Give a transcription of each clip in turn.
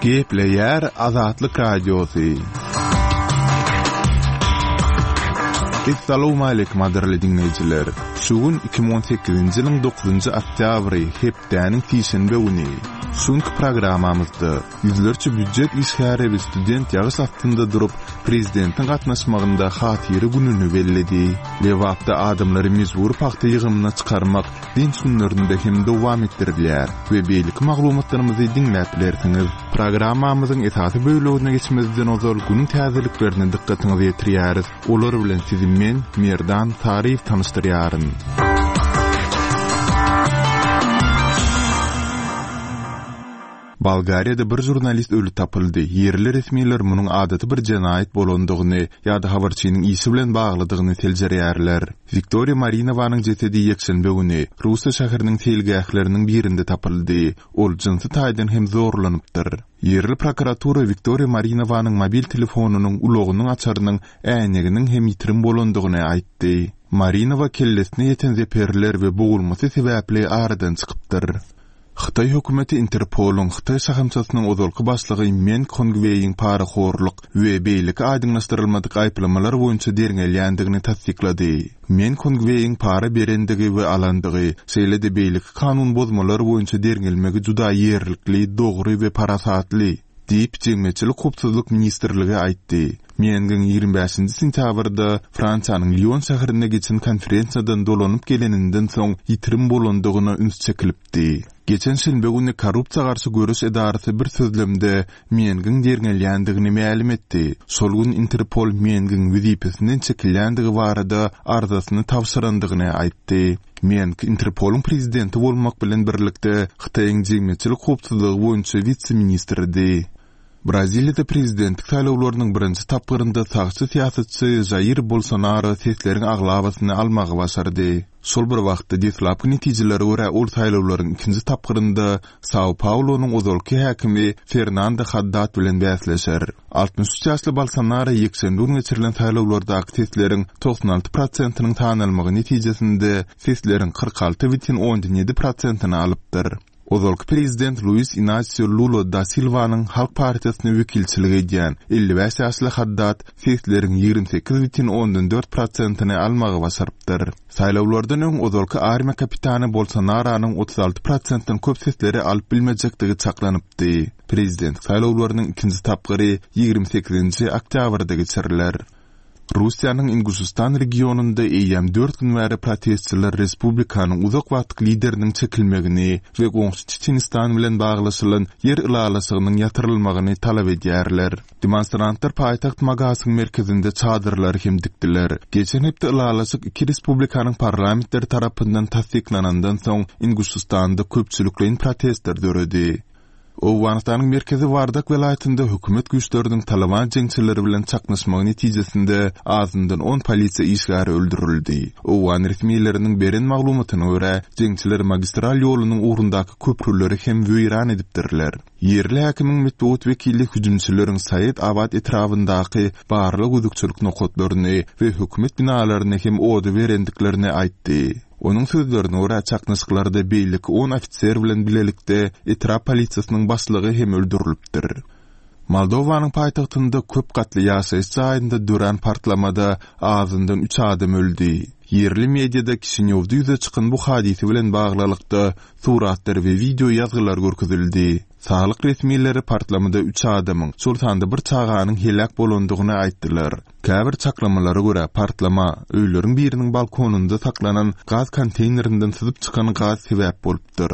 Gepleýär Azatlyk Radiosy. Essalawmaleýkim gadyrly diňleýjiler! Şu gün 2018-nji ýylyň dokuzynjy oktýabry, hepdäniň sişenbe güni. Şu günki programmamyzda ýüzlerçe býujet işgäri we student ýagyş astynda durup, prezidentiň gatnaşmagynda Hatyra gününi belledi. Lebapda adamlary mejbury pagta ýygymyna çykarmak dynç günlerinde hem dowam etdirilýär we beýleki maglumatlarymyzy diňläp bilersiňiz. Programmamyzyň esasy bölegine geçmezden ozal günüň täzeliklerine dykgatyňyzy ýetirýäris. Olar bilen sizi men, Merdan Saryýew tanyşdyrýaryn. Bolgariýada bir žurnalist öli tapyldy. Ýerli resmiler munuň adaty bir jenaýat bolandygyny ýa-da habarçynyň işi bilen baglydygyny seljerýärler. Wiktoriýa Marinowanyň jesedi ýekşenbe güni Russiýa şäheriniň seýilgähleriniň birinde tapyldy. Ol jynsy taýdan hem zorlanypdyr. Ýerli prokuratura Wiktoriýa Marinowanyň mobil telefonynyň, ulagynyň açarynyň, äýneginiň hem ýitirim bolandygyny aýtdy. Marinowa kellesine ýeten zeperler we bogulmasy sebäpli aradan çykypdyr. Hytaý hökümeti Interpolyň Hytaý şahamçasynyň ozalky başlygy Meng Hongweýiň parahorluk we beýleki aýdyňlaşdyrylmadyk aýyplamalar boýunça derňelýändigini tassyklady. Meng Hongweýiň para berendigi we alandygy, şeýle-de beýleki kanun bozmalar boýunça derňelmegi juda ýerlikli, dogry we parasatly, diýip, Jemgyýetçilik howpsuzlyk ministrligi aýtdy. Mengiň 25-nji sentýabrda Fransiýanyň Lion şäherinde geçen konferensiýadan dolanyp geleninden soň ýitirim bolandygyna üns çekilipdi. Geçen şenbe güni Korrupsiýa garşy göreş edarasy bir sözlemde Mengiň derňelýändigini mälim etdi. Şol gün Interpol Mengiň wezipesinden çekilýändigi barada arzasyny tabşyrandygyny aýtdy. Meng, Interpolyň prezidenti bolmak bilen birlikde, Hytaýyň jemgyýetçilik howpsuzlygy boýunça wise-ministridi. Braziliýada prezidentlik saýlawlarynyň birinji tapgyrynda sagçy syýasatçy Žair Bolsonaro sesleriň aglabasyny almagy başardy. Şol bir wagtda, deslapky netijelere görä, ol saýlawlaryň ikinji tapgyrynda Sao-Paulonyň ozalky häkimi Fernando Haddad bilen bäsleşer. 63 ýaşly Bolsonaro ýekşenbe güni geçirilen saýlawlardaky sesleriň 96 prosentiniň sanalmagy netijesinde sesleriň 46,7 prosentini alypdyr. Ozalky prezident Luis Inasio Lula da Silwanyň Halk partiýasyna wekilçilik edýän 55 ýaşly Haddad sesleriň 28,4 prosentini almagy başarypdyr. Saýlawlardan öň ozalky armiýa kapitany Bolsonaronyň 36 prosentden köp sesleri alyp bilmejekdigi çaklanypdy. Prezident saýlawlarynyň ikinji tapgyry 28-nji oktýabrda geçiriler. Russiýanyň Inguşystan regionynda eýýäm dört gün bäri protestçiler respublikanyň uzak wagtlyk lideriniň çekilmegini we goňşy Çeçenistan bilen baglaşylan ýer ylalaşygynyň ýatyrylmagyny talap edýärler. Demonstrantlar paýtagt Magasyň merkezinde çadyrlary hem dikdiler. Geçen hepde ylalaşyk iki respublikanyň parlamentleri tarapyndan tassyklanandan soň Inguşystanda köpçülikleýin protestler döredi. Owganystanyň merkezi Wardak welaýatynda hökümet güýçleriniň Talyban jeňçileri bilen çaknyşmagy netijesinde azyndan on polisiýa işgäri öldürildi. Owgan resmileriniň beren maglumatyna görä, jeňçiler magistral ýolunyň ugrundaky köprüleri hem weýran edipdirler. Ýerli häkimiň metbugat wekili hüjümçileriň Saýed Abad etrabyndaky barlag-gözegçilik nokatlaryny we hökümet binalaryny hem oda berendiklerini aýtdy. Onuň sözlerine görä, çaknyşyklarda beýleki on ofiser bilen bilelikde etrap polisiýasynyň başlygy hem öldürilipdir. Moldowanyň paýtagtynda köp gatly ýaşaýyş jaýynda dörän partlamada azyndan üç adam öldi. Ýerli mediada Kişinýowda ýüze çykan bu hadysa bilen baglylykda suratlar we wideo ýazgylar görkezildi. Saglyk resmileri partlamada üç adamyň, şol sanda bir çaganyň heläk bolandygyny aýtdylar. Käbir çaklamalara görä, partlama, öýleriň biriniň balkonynda saklanan gaz konteýnerinden syzyp çykan gaz sebäp bolupdyr.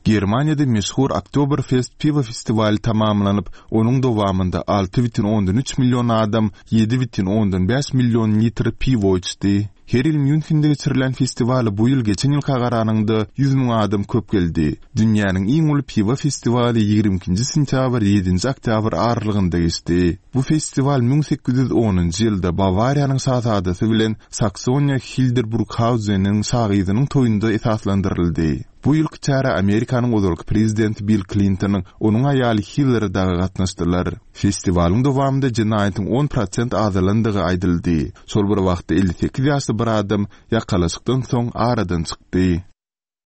Germaniýada meşhur Oktoberfest piwo festiwaly tamamlanyp, onuň dowamynda 6,3 million adam 7,5 million litr piwo içdi. Her ýyl Mýunhende geçirilýän festiwala bu ýyl geçen ýylka garanyňda 100 müň adam köp geldi. Dünýäniň iň uly piwo festiwaly 22-nji sentýabr, ýedinji oktýabr aralygynda geçdi. Bu festiwal 1810-njy ýylda Bawariýanyň şazadasy bilen Saksoniýa Hilderburghauzeniň şagyzynyň toýunda esaslandyryldy. Bu ýylky çärä Amerikanyň ozalky prezidenti Bill Klintonyň, onuň aýaly Hillari dagy gatnaşdylar. Festiwalyň dowamynda jenaýatyň on prosent azalandygy aýdyldy. Şol bir wagtda, 58 ýaşly bir adam ýakalaşykdan soň aradan çykdy.